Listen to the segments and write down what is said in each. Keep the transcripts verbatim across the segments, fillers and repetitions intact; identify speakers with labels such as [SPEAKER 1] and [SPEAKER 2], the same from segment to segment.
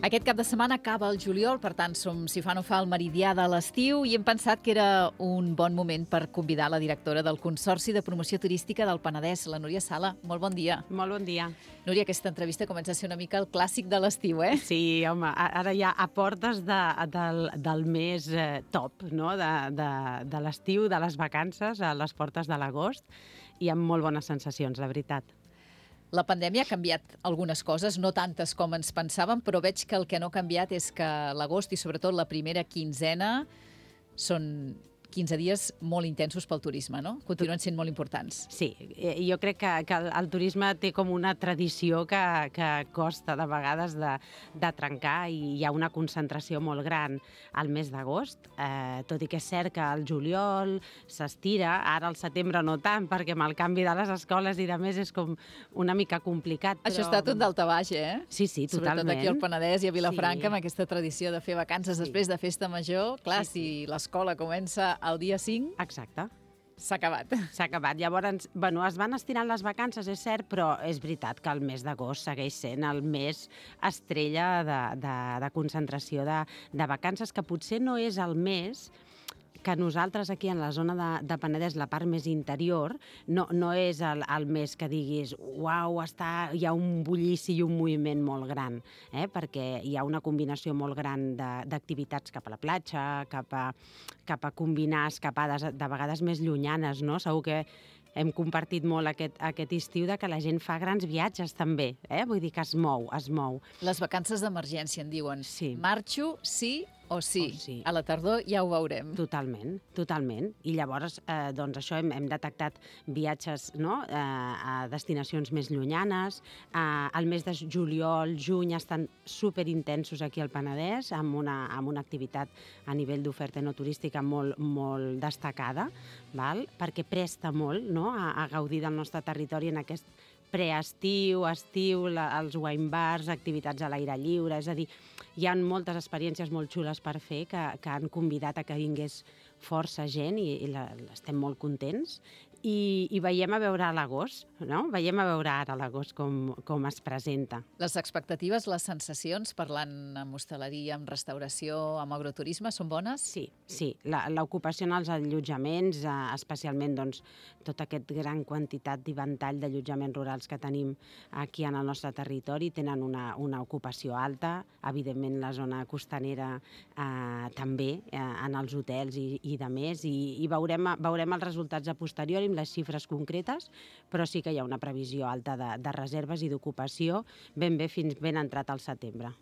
[SPEAKER 1] Aquest cap de setmana acaba el juliol, per tant, som, si fa no fa, el meridià de l'estiu i hem pensat que era un bon moment per convidar la directora del Consorci de Promoció Turística del Penedès, la Núria Sala. Molt bon dia.
[SPEAKER 2] Molt bon dia.
[SPEAKER 1] Núria, aquesta entrevista comença a ser una mica el clàssic de l'estiu, eh?
[SPEAKER 2] Sí, home, ara ja a portes de, del, del mes eh, top, no?, de, de, de l'estiu, de les vacances, a les portes de l'agost, i amb molt bones sensacions, la veritat.
[SPEAKER 1] La pandèmia ha canviat algunes coses, no tantes com ens pensàvem, però veig que el que no ha canviat és que l'agost i sobretot la primera quinzena són quinze dies molt intensos pel turisme, no? Continuen sent molt importants.
[SPEAKER 2] Sí, jo crec que, que el, el turisme té com una tradició que, que costa de vegades de, de trencar i hi ha una concentració molt gran al mes d'agost, eh, tot i que és cert que el juliol s'estira, ara al setembre no tant, perquè amb el canvi de les escoles i de més és com una mica complicat. Però...
[SPEAKER 1] Això està tot dalta baix, eh?
[SPEAKER 2] Sí, sí, totalment.
[SPEAKER 1] Sobretot aquí al Penedès i a Vilafranca,
[SPEAKER 2] sí.
[SPEAKER 1] Amb aquesta tradició de fer vacances sí. després de festa major. Clar, sí, sí. Si l'escola comença el dia cinc...
[SPEAKER 2] Exacte.
[SPEAKER 1] S'ha acabat.
[SPEAKER 2] S'ha acabat. Llavors, bueno, es van estirant les vacances, és cert, però és veritat que el mes d'agost segueix sent el mes estrella de, de, de concentració de, de vacances, que potser no és el mes que nosaltres aquí en la zona de, de Penedès, la part més interior, no, no és el, el mes que diguis uau, està, hi ha un bullici i un moviment molt gran, eh? Perquè hi ha una combinació molt gran d'activitats cap a la platja, cap a, cap a combinar escapades de vegades més llunyanes, no? Segur que hem compartit molt aquest, aquest estiu de que la gent fa grans viatges també, eh? Vull dir que es mou, es mou.
[SPEAKER 1] Les vacances d'emergència en diuen.
[SPEAKER 2] Sí.
[SPEAKER 1] Marxo, sí o sí.
[SPEAKER 2] O sí.
[SPEAKER 1] A la tardor ja ho veurem.
[SPEAKER 2] Totalment, totalment. I llavors, eh, doncs això, hem, hem detectat viatges, no?, eh, a destinacions més llunyanes. Eh, el mes de juliol, juny estan superintensos aquí al Penedès, amb una, amb una activitat a nivell d'oferta no turística molt, molt destacada, val? Perquè presta molt, no?, a, a gaudir del nostre territori en aquest preestiu, estiu, la, els wine bars, activitats a l'aire lliure, és a dir, hi ha moltes experiències molt xules per fer que, que han convidat a que vingués força gent i, i la, estem molt contents. I, i veiem a veure a l'agost, no? Veiem a veure ara a l'agost com, com es presenta.
[SPEAKER 1] Les expectatives, les sensacions, parlant amb hostaleria, amb restauració, amb agroturisme, són bones?
[SPEAKER 2] Sí, sí. L'ocupació en els allotjaments, eh, especialment doncs, tota aquesta gran quantitat i ventall d'allotjaments rurals que tenim aquí en el nostre territori, tenen una, una ocupació alta. Evidentment, la zona costanera eh, també, eh, en els hotels i, i de més, i, i veurem, veurem els resultats a posteriori, les xifres concretes, però sí que hi ha una previsió alta de, de reserves i d'ocupació ben bé fins ben entrat al setembre.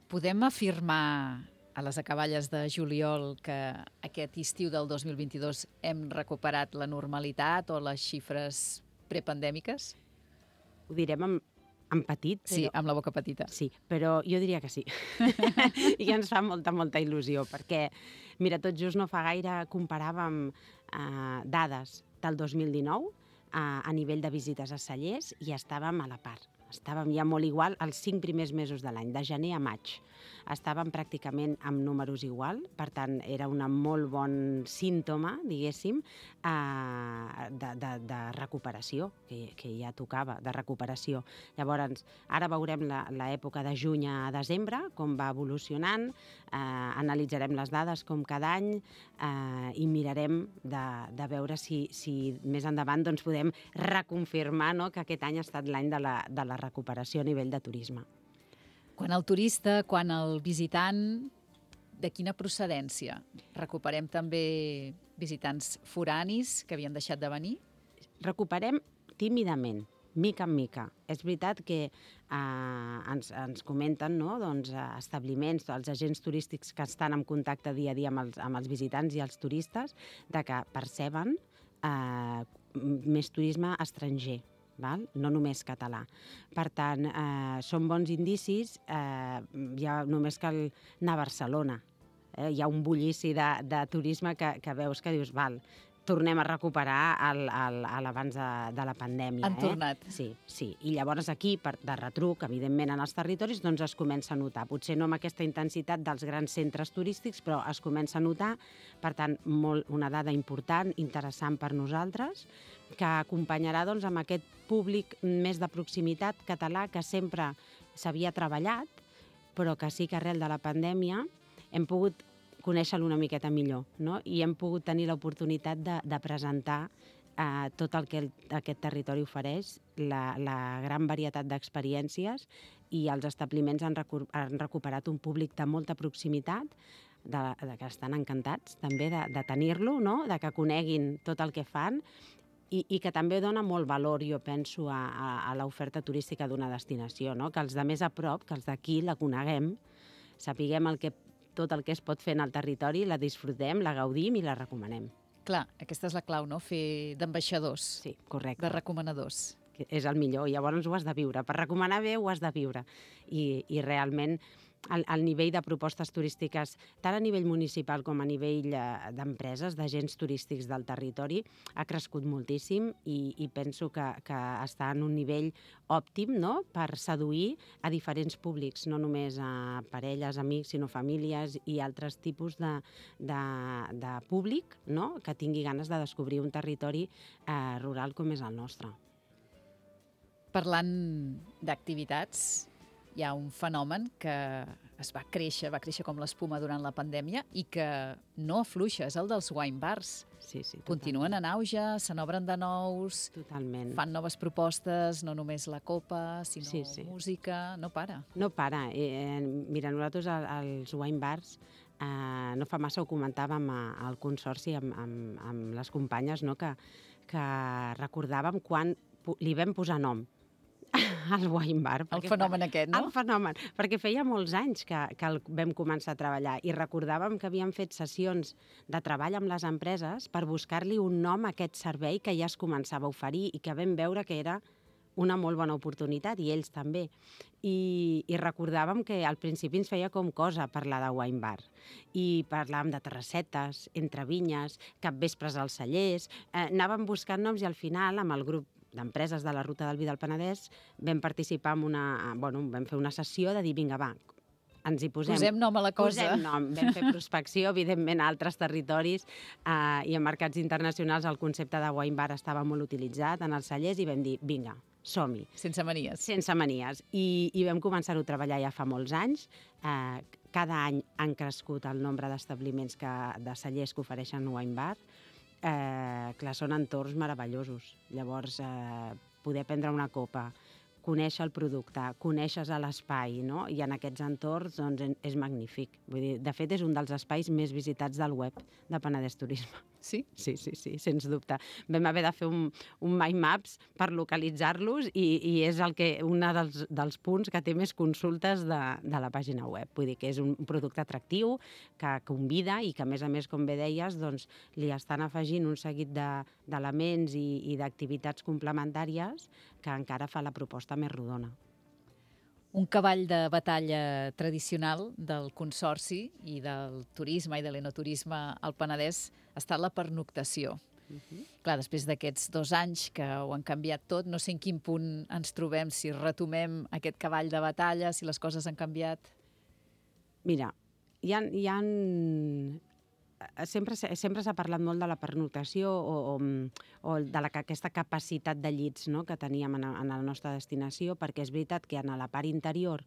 [SPEAKER 1] Podem afirmar a les acaballes de juliol que aquest estiu del dos mil vint-i-dos hem recuperat la normalitat o les xifres prepandèmiques?
[SPEAKER 2] Ho direm amb, amb petit. Però...
[SPEAKER 1] Sí, amb la boca petita.
[SPEAKER 2] Sí, però jo diria que sí. I ens fa molta, molta il·lusió, perquè, mira, tot just no fa gaire comparàvem eh, dades del dos mil dinou eh, a nivell de visites a cellers i estàvem a la part. Estàvem ja molt igual els cinc primers mesos de l'any, de gener a maig. Estàvem pràcticament amb números igual, per tant, era un molt bon símptoma, diguéssim, eh, de, de, de recuperació, que, que ja tocava, de recuperació. Llavors, ara veurem l'època de juny a desembre, com va evolucionant, eh, analitzarem les dades com cada any eh, i mirarem de, de veure si, si més endavant doncs, podem reconfirmar, no?, que aquest any ha estat l'any de la, de la recuperació a nivell de turisme.
[SPEAKER 1] Quan el turista, quan el visitant, de quina procedència? Recuperem també visitants foranis que havien deixat de venir?
[SPEAKER 2] Recuperem tímidament, mica en mica. És veritat que eh, ens, ens comenten, no?, doncs, establiments, els agents turístics que estan en contacte dia a dia amb els, amb els visitants i els turistes, de que perceben eh, més turisme estranger, val? No només català. Per tant, eh, són bons indicis, eh, ja només cal anar a Barcelona. Eh? Hi ha un bullici de, de turisme que, que veus que dius, val, tornem a recuperar el, el, el abans de, de la pandèmia.
[SPEAKER 1] Han tornat.
[SPEAKER 2] Eh? Sí, sí. I llavors aquí, per, de retruc, evidentment, en els territoris, doncs es comença a notar. Potser no amb aquesta intensitat dels grans centres turístics, però es comença a notar. Per tant, molt, una dada important, interessant per nosaltres, que acompanyarà doncs, amb aquest públic més de proximitat català que sempre s'havia treballat però que sí que arrel de la pandèmia hem pogut conèixer-lo una miqueta millor, no? I hem pogut tenir l'oportunitat de, de presentar eh, tot el que el, aquest territori ofereix, la, la gran varietat d'experiències, i els establiments han, recu han recuperat un públic de molta proximitat, de, de que estan encantats també de, de tenir-lo, no? De que coneguin tot el que fan, i, i que també dona molt valor, jo penso, a, a, a l'oferta turística d'una destinació, no? Que els de més a prop, que els d'aquí la coneguem, sapiguem el que, tot el que es pot fer en el territori, la disfrutem, la gaudim i la recomanem.
[SPEAKER 1] Clar, aquesta és la clau, no? Fer d'ambaixadors.
[SPEAKER 2] Sí, correcte.
[SPEAKER 1] De recomanadors.
[SPEAKER 2] Que és el millor, i llavors ho has de viure. Per recomanar bé ho has de viure. I, i realment el, el nivell de propostes turístiques, tant a nivell municipal com a nivell eh, d'empreses, d'agents turístics del territori, ha crescut moltíssim, i, i penso que, que està en un nivell òptim, no?, per seduir a diferents públics, no només a parelles, amics, sinó famílies i altres tipus de, de, de públic, no?, que tingui ganes de descobrir un territori eh, rural com és el nostre.
[SPEAKER 1] Parlant d'activitats, hi ha un fenomen que es va créixer, va créixer com l'espuma durant la pandèmia i que no afluixa, és el dels wine bars.
[SPEAKER 2] Sí, sí,
[SPEAKER 1] continuen en auge, se n'obren de nous,
[SPEAKER 2] totalment.
[SPEAKER 1] Fan noves propostes, no només la copa, sinó
[SPEAKER 2] sí, sí.
[SPEAKER 1] música, no para.
[SPEAKER 2] No para. Eh, mira, nosaltres als wine bars eh, no fa massa ho comentàvem al consorci amb, amb, amb les companyes, no?, que, que recordàvem quan li vam posar nom al wine bar.
[SPEAKER 1] El fenomen fa, aquest, no?
[SPEAKER 2] El fenomen, perquè feia molts anys que, que el vam començar a treballar i recordàvem que havíem fet sessions de treball amb les empreses per buscar-li un nom a aquest servei que ja es començava a oferir i que vam veure que era una molt bona oportunitat, i ells també. I, i recordàvem que al principi ens feia com cosa parlar de wine bar. I parlàvem de terrassetes, entre vinyes, capvespres als cellers, eh, anàvem buscant noms, i al final, amb el grup d'empreses de la Ruta del Vi del Penedès, vam participar en una... Bueno, vam fer una sessió de dir, vinga, va, ens hi posem...
[SPEAKER 1] Posem nom a la cosa.
[SPEAKER 2] Posem nom. Vam fer prospecció, evidentment, a altres territoris eh, i en mercats internacionals el concepte de wine bar estava molt utilitzat en els cellers, i vam dir, vinga, som-hi.
[SPEAKER 1] Sense manies.
[SPEAKER 2] Sense manies. I, i vam començar-ho a treballar ja fa molts anys. Eh, cada any han crescut el nombre d'establiments que, de cellers que ofereixen wine bar. Eh, clar, són entorns meravellosos. Llavors, eh, poder prendre una copa, conèixer el producte, conèixer l'espai, no? I en aquests entorns doncs, és magnífic. Vull dir, de fet, és un dels espais més visitats del web de Penedès Turisme.
[SPEAKER 1] Sí?
[SPEAKER 2] Sí, sí, sí, sens dubte. Vam haver de fer un, un mind maps per localitzar-los, i, i és el que, un dels, dels punts que té més consultes de, de la pàgina web. Vull dir que és un producte atractiu, que convida, i que, a més a més, com bé deies, doncs, li estan afegint un seguit d'elements de, i, i d'activitats complementàries que encara fa la proposta més rodona.
[SPEAKER 1] Un cavall de batalla tradicional del Consorci i del turisme i de l'enoturisme al Penedès ha estat la pernoctació. Uh-huh. Clar, després d'aquests dos anys que ho han canviat tot, no sé en quin punt ens trobem, si retomem aquest cavall de batalla, si les coses han canviat.
[SPEAKER 2] Mira, hi ha... Hi ha... Sempre, sempre s'ha parlat molt de la pernoctació o, o, o de la, aquesta capacitat de llits, no?, que teníem en, en la nostra destinació, perquè és veritat que en la part interior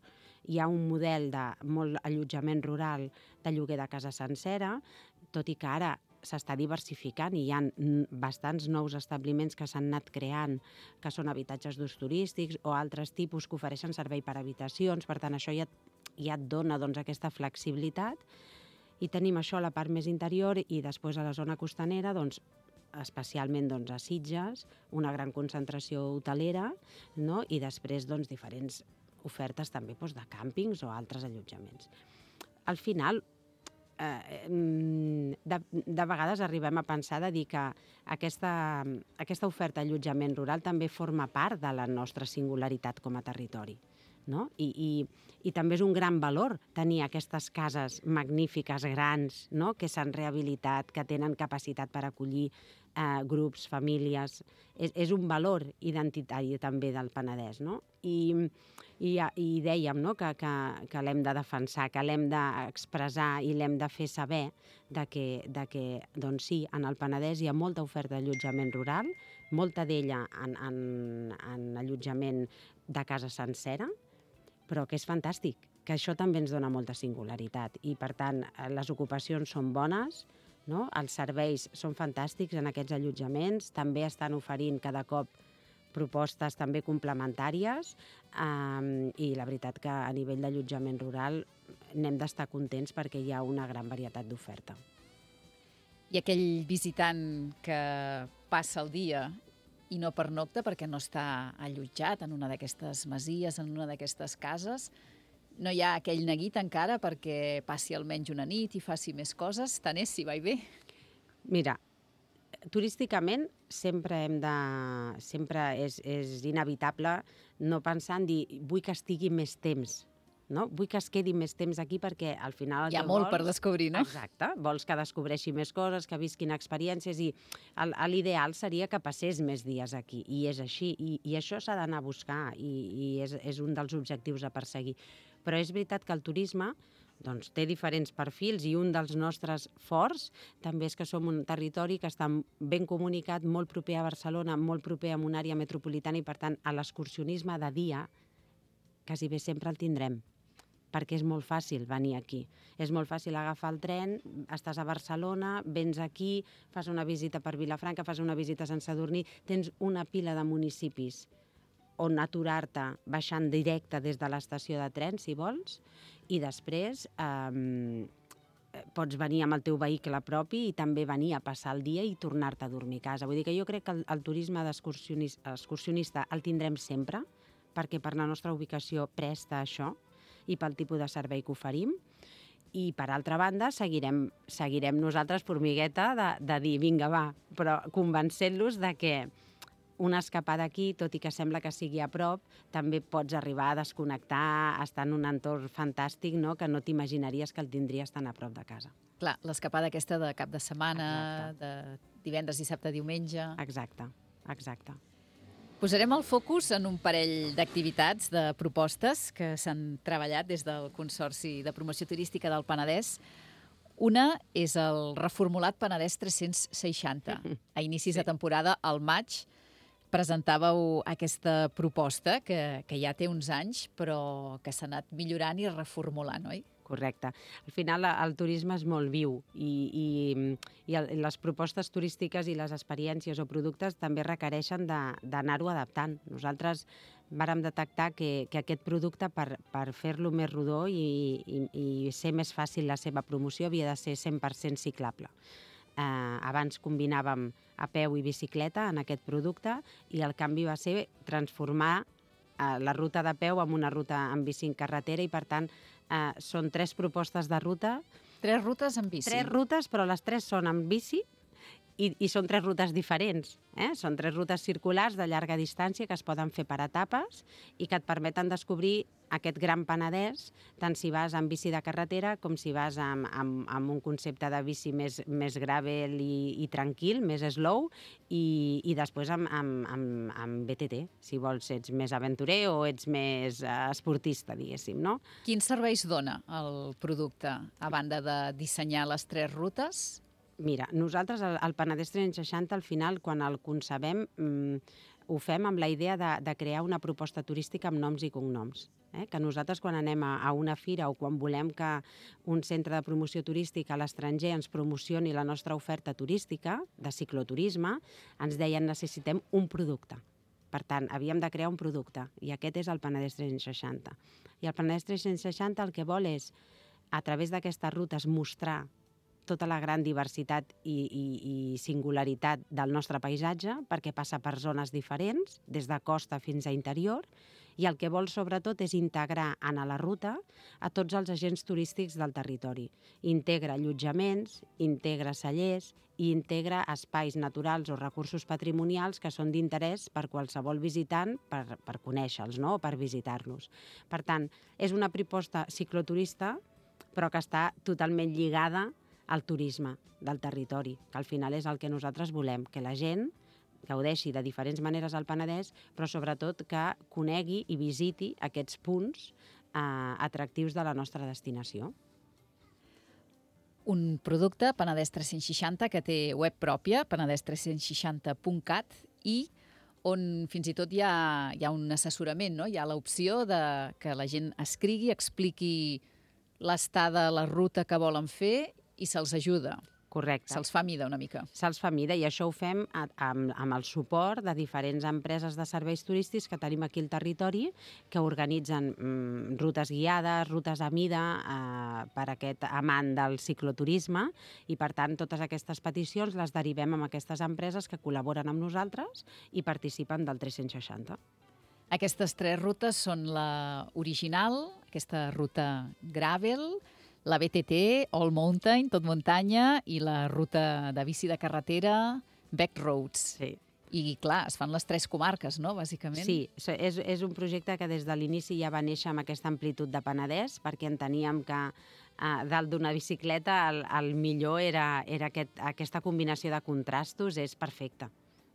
[SPEAKER 2] hi ha un model de molt allotjament rural de lloguer de casa sencera, tot i que ara s'està diversificant i hi ha bastants nous establiments que s'han anat creant, que són habitatges d'ús turístics o altres tipus que ofereixen servei per habitacions. Per tant, això ja, ja et dona doncs, aquesta flexibilitat. I tenim això a la part més interior, i després a la zona costanera, doncs, especialment doncs, a Sitges, una gran concentració hotelera, no?, i després doncs, diferents ofertes també doncs, de càmpings o altres allotjaments. Al final, eh, de, de vegades arribem a pensar de dir que aquesta, aquesta oferta d'allotjament rural també forma part de la nostra singularitat com a territori. No? I, i, i també és un gran valor tenir aquestes cases magnífiques, grans, no?, que s'han rehabilitat, que tenen capacitat per acollir eh, grups, famílies. És, és un valor identitari també del Penedès, no? I, i, i dèiem, no?, que, que, que l'hem de defensar, que l'hem d'expressar i l'hem de fer saber de que, de que doncs sí, en el Penedès hi ha molta oferta d'allotjament rural, molta d'ella en, en, en allotjament de casa sencera, però que és fantàstic, que això també ens dona molta singularitat i, per tant, les ocupacions són bones, no? Els serveis són fantàstics en aquests allotjaments, també estan oferint cada cop propostes també complementàries eh, i la veritat que a nivell d'allotjament rural n'hem d'estar contents perquè hi ha una gran varietat d'oferta.
[SPEAKER 1] I aquell visitant que passa el dia i no pernocta perquè no està allotjat en una d'aquestes masies, en una d'aquestes cases, no hi ha aquell neguit encara perquè passi almenys una nit i faci més coses, tant és si va i ve.
[SPEAKER 2] Mira, turísticament sempre hem de... sempre és, és inevitable no pensar en dir vull que estigui més temps, no? Vull que es quedi més temps aquí perquè al final...
[SPEAKER 1] Hi ha molt per descobrir, no?
[SPEAKER 2] Exacte. Vols que descobreixi més coses, que visquin experiències i l'ideal seria que passés més dies aquí. I és així. I, i això s'ha d'anar a buscar i, i és, és un dels objectius a perseguir. Però és veritat que el turisme doncs, té diferents perfils i un dels nostres forts també és que som un territori que està ben comunicat, molt proper a Barcelona, molt proper a una àrea metropolitana i, per tant, a l'excursionisme de dia quasi bé sempre el tindrem, perquè és molt fàcil venir aquí. És molt fàcil agafar el tren, estàs a Barcelona, vens aquí, fas una visita per Vilafranca, fas una visita a Sant Sadurní, tens una pila de municipis on aturar-te baixant directe des de l'estació de tren, si vols, i després eh, pots venir amb el teu vehicle propi i també venir a passar el dia i tornar-te a dormir a casa. Vull dir que jo crec que el, el turisme d'excursionista el tindrem sempre, perquè per la nostra ubicació presta això, i pel tipus de servei que oferim. I, per altra banda, seguirem, seguirem nosaltres, formigueta, de, de dir, vinga, va, però convencent-los de que una escapada aquí, tot i que sembla que sigui a prop, també pots arribar a desconnectar, estar en un entorn fantàstic, no? Que no t'imaginaries que el tindries tan a prop de casa.
[SPEAKER 1] Clar, l'escapada aquesta de cap de setmana,
[SPEAKER 2] Exacte.
[SPEAKER 1] de divendres, dissabte, diumenge...
[SPEAKER 2] Exacte, exacte.
[SPEAKER 1] Posarem el focus en un parell d'activitats, de propostes que s'han treballat des del Consorci de Promoció Turística del Penedès. Una és el reformulat Penedès tres-cents seixanta. A inicis de temporada, al maig, presentàveu aquesta proposta que, que ja té uns anys, però que s'ha anat millorant i reformulant, oi?
[SPEAKER 2] Correcte. Al final el turisme és molt viu i, i, i les propostes turístiques i les experiències o productes també requereixen d'anar-ho adaptant. Nosaltres vàrem detectar que, que aquest producte, per, per fer-lo més rodó i, i, i ser més fàcil la seva promoció, havia de ser cent per cent ciclable. Eh, abans combinàvem a peu i bicicleta en aquest producte i el canvi va ser transformar eh, la ruta de peu en una ruta en bici en carretera i, per tant, Uh, són tres propostes de ruta.
[SPEAKER 1] Tres rutes en bici.
[SPEAKER 2] Tres rutes, però les tres són en bici i, i són tres rutes diferents. Eh? Són tres rutes circulars de llarga distància que es poden fer per etapes i que et permeten descobrir aquest gran Penedès, tant si vas en bici de carretera com si vas amb, amb, amb un concepte de bici més, més gravel i, i tranquil, més slow, i, i després amb, amb, amb, amb B T T, si vols, ets més aventurer o ets més uh, esportista, diguéssim, no?
[SPEAKER 1] Quins serveis dona el producte, a banda de dissenyar les tres rutes?
[SPEAKER 2] Mira, nosaltres el, el Penedès tres-cents seixanta, al final, quan el concebem, mmm, ho fem amb la idea de, de crear una proposta turística amb noms i cognoms. Eh? Que nosaltres, quan anem a, a una fira o quan volem que un centre de promoció turística a l'estranger ens promocioni la nostra oferta turística, de cicloturisme, ens deien necessitem un producte. Per tant, havíem de crear un producte, i aquest és el Penedès tres-cents seixanta. I el Penedès tres-cents seixanta el que vol és, a través d'aquestes rutes, mostrar tota la gran diversitat i, i, i singularitat del nostre paisatge, perquè passa per zones diferents, des de costa fins a interior, i el que vol sobretot és integrar en la ruta a tots els agents turístics del territori. Integra allotjaments, integra cellers i integra espais naturals o recursos patrimonials que són d'interès per qualsevol visitant per, per conèixer-los, no? O per visitar-los. Per tant, és una proposta cicloturista, però que està totalment lligada al turisme del territori, que al final és el que nosaltres volem, que la gent gaudeixi de diferents maneres al Penedès, però sobretot que conegui i visiti aquests punts eh, atractius de la nostra destinació.
[SPEAKER 1] Un producte, Penedès tres-cents seixanta, que té web pròpia, penedès tres-cents seixanta punt cat, i on fins i tot hi ha, hi ha un assessorament, no? Hi ha l'opció de que la gent escrigui, expliqui l'estada, la ruta que volen fer i se'ls ajuda.
[SPEAKER 2] Correcte.
[SPEAKER 1] Se'ls fa mida una mica.
[SPEAKER 2] Se'ls fa mida i això ho fem a, amb, amb el suport de diferents empreses de serveis turístics que tenim aquí al territori que organitzen mm, rutes guiades, rutes a mida eh, per aquest amant del cicloturisme i, per tant, totes aquestes peticions les derivem amb aquestes empreses que col·laboren amb nosaltres i participen del tres-cents seixanta.
[SPEAKER 1] Aquestes tres rutes són la original, aquesta ruta gravel, la B T T, All Mountain, tot muntanya, i la ruta de bici de carretera, Back Roads.
[SPEAKER 2] Sí.
[SPEAKER 1] I, clar, es fan les tres comarques, no?, bàsicament.
[SPEAKER 2] Sí, és, és un projecte que des de l'inici ja va néixer amb aquesta amplitud de Penedès, perquè enteníem que eh, dalt d'una bicicleta el, el millor era, era aquest, aquesta combinació de contrastos, és perfecta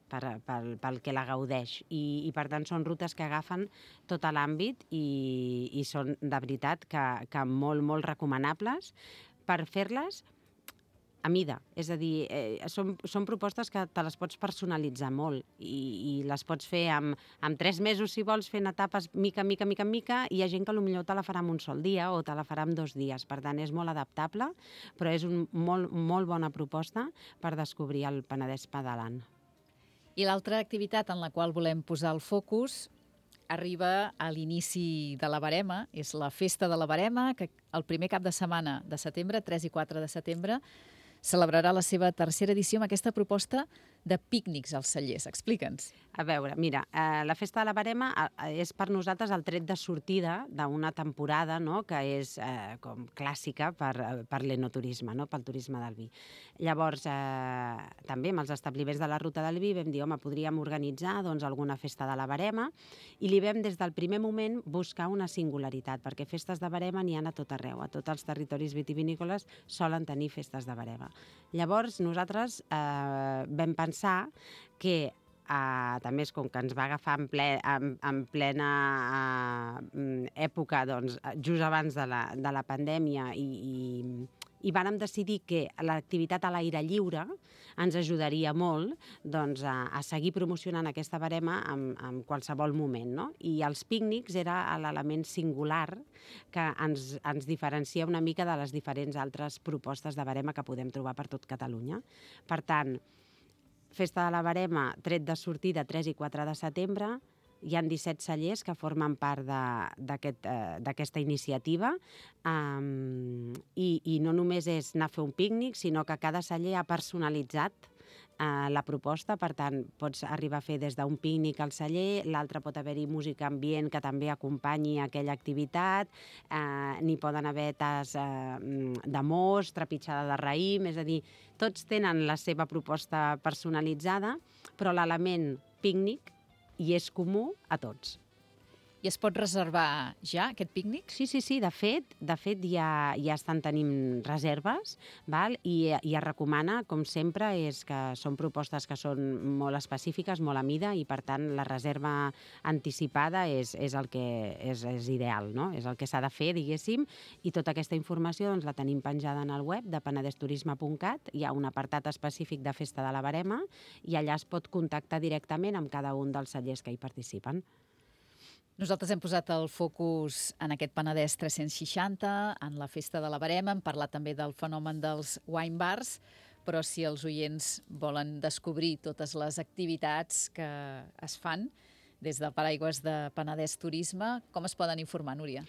[SPEAKER 2] per, pel, pel que la gaudeix. I, I, per tant, són rutes que agafen tot l'àmbit i, i són, de veritat, que, que molt, molt recomanables per fer-les a mida. És a dir, eh, són, són propostes que te les pots personalitzar molt i, i les pots fer amb, amb tres mesos, si vols, fent etapes mica, mica, mica, mica, i hi ha gent que potser te la farà en un sol dia o te la farà en dos dies. Per tant, és molt adaptable, però és una molt, molt bona proposta per descobrir el Penedès pedalant.
[SPEAKER 1] I l'altra activitat en la qual volem posar el focus arriba a l'inici de la Verema, és la Festa de la Verema, que el primer cap de setmana de setembre, tres i quatre de setembre, celebrarà la seva tercera edició amb aquesta proposta de pícnics als cellers. Explica'ns.
[SPEAKER 2] A veure, mira, eh, la Festa de la Verema eh, és per nosaltres el tret de sortida d'una temporada, no?, que és eh, com clàssica per, per l'enoturisme, no?, pel turisme del vi. Llavors, eh, també amb els establiments de la Ruta del Vi vam dir, home, podríem organitzar doncs, alguna Festa de la Verema, i li vam des del primer moment buscar una singularitat, perquè festes de Verema n'hi ha a tot arreu, a tots els territoris vitivinícoles solen tenir festes de Verema. Llavors, nosaltres eh, vam pensar que Uh, també és com que ens va agafar en, ple, en, en plena uh, època, doncs, just abans de la, de la pandèmia, i, i, i vàrem decidir que l'activitat a l'aire lliure ens ajudaria molt doncs, a, a seguir promocionant aquesta Verema en, en qualsevol moment, no? I els pícnics era l'element singular que ens, ens diferencia una mica de les diferents altres propostes de Verema que podem trobar per tot Catalunya. Per tant, Festa de la Verema, tret de sortida tres i quatre de setembre, hi ha disset cellers que formen part d'aquesta aquest, eh, iniciativa um, i, i no només és anar a fer un pícnic, sinó que cada celler ha personalitzat Uh, la proposta, per tant, pots arribar a fer des d'un pícnic al celler, l'altre pot haver-hi música ambient que també acompanyi aquella activitat, uh, n'hi poden haver tas uh, de mos, trepitjada de raïm, és a dir, tots tenen la seva proposta personalitzada, però l'element pícnic hi és comú a tots.
[SPEAKER 1] I es pot reservar ja, aquest pícnic?
[SPEAKER 2] Sí, sí, sí. De fet, de fet ja, ja estan tenint reserves, val? I, i es recomana, com sempre, és que són propostes que són molt específiques, molt a mida, i per tant la reserva anticipada és, és el que és, és ideal, no? És el que s'ha de fer, diguéssim, i tota aquesta informació doncs, la tenim penjada en el web de penedesturisme punt cat. Hi ha un apartat específic de Festa de la Verema i allà es pot contactar directament amb cada un dels cellers que hi participen.
[SPEAKER 1] Nosaltres hem posat el focus en aquest Penedès tres-cents seixanta, en la Festa de la Verema, hem parlat també del fenomen dels wine bars, però si els oients volen descobrir totes les activitats que es fan des del paraigües de Penedès Turisme, com es poden informar, Núria?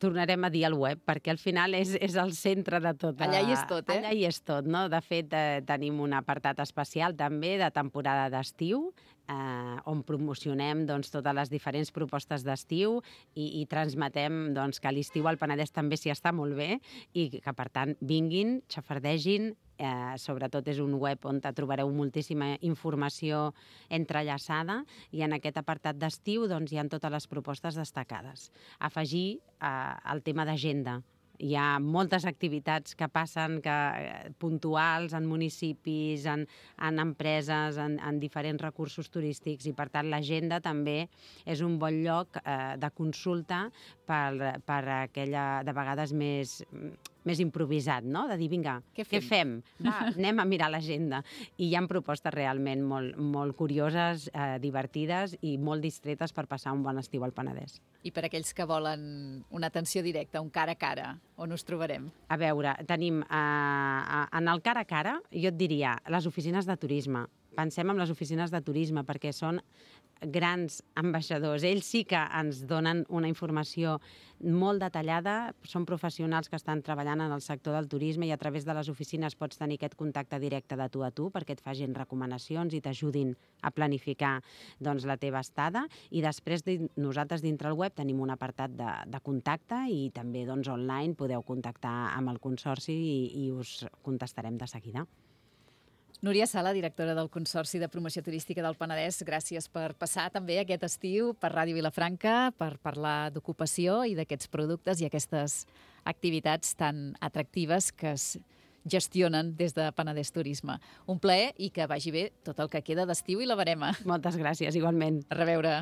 [SPEAKER 2] Tornarem a dir al web, perquè al final és, és el centre de tot.
[SPEAKER 1] Allà hi és tot, eh?
[SPEAKER 2] Allà hi és tot, no? De fet, eh, tenim un apartat especial també de temporada d'estiu, eh, on promocionem doncs, totes les diferents propostes d'estiu i, i transmetem doncs, que a l'estiu al Penedès també s'hi està molt bé i que, per tant, vinguin, xafardegin. Eh, sobretot és un web on trobareu moltíssima informació entrellaçada i en aquest apartat d'estiu doncs, hi ha totes les propostes destacades. Afegir eh, el tema d'agenda. Hi ha moltes activitats que passen que, eh, puntuals en municipis, en, en empreses, en, en diferents recursos turístics i, per tant, l'agenda també és un bon lloc eh, de consulta per, per aquella, de vegades, més més improvisat, no? De dir, vinga,
[SPEAKER 1] què
[SPEAKER 2] què
[SPEAKER 1] fem?
[SPEAKER 2] fem? Va, anem a mirar l'agenda. I hi ha propostes realment molt, molt curioses, eh, divertides i molt distretes per passar un bon estiu al Penedès.
[SPEAKER 1] I per aquells que volen una atenció directa, un cara a cara, on us trobarem?
[SPEAKER 2] A veure, tenim, eh, en el cara a cara, jo et diria, les oficines de turisme. Pensem en les oficines de turisme perquè són grans ambaixadors. Ells sí que ens donen una informació molt detallada, són professionals que estan treballant en el sector del turisme i a través de les oficines pots tenir aquest contacte directe de tu a tu perquè et facin recomanacions i t'ajudin a planificar doncs, la teva estada. I després nosaltres dintre el web tenim un apartat de, de contacte i també doncs, online podeu contactar amb el Consorci i, i us contestarem de seguida.
[SPEAKER 1] Núria Sala, directora del Consorci de Promoció Turística del Penedès, gràcies per passar també aquest estiu per Ràdio Vilafranca, per parlar d'ocupació i d'aquests productes i aquestes activitats tan atractives que es gestionen des de Penedès Turisme. Un plaer i que vagi bé tot el que queda d'estiu i la verema.
[SPEAKER 2] Moltes gràcies, igualment.
[SPEAKER 1] A reveure.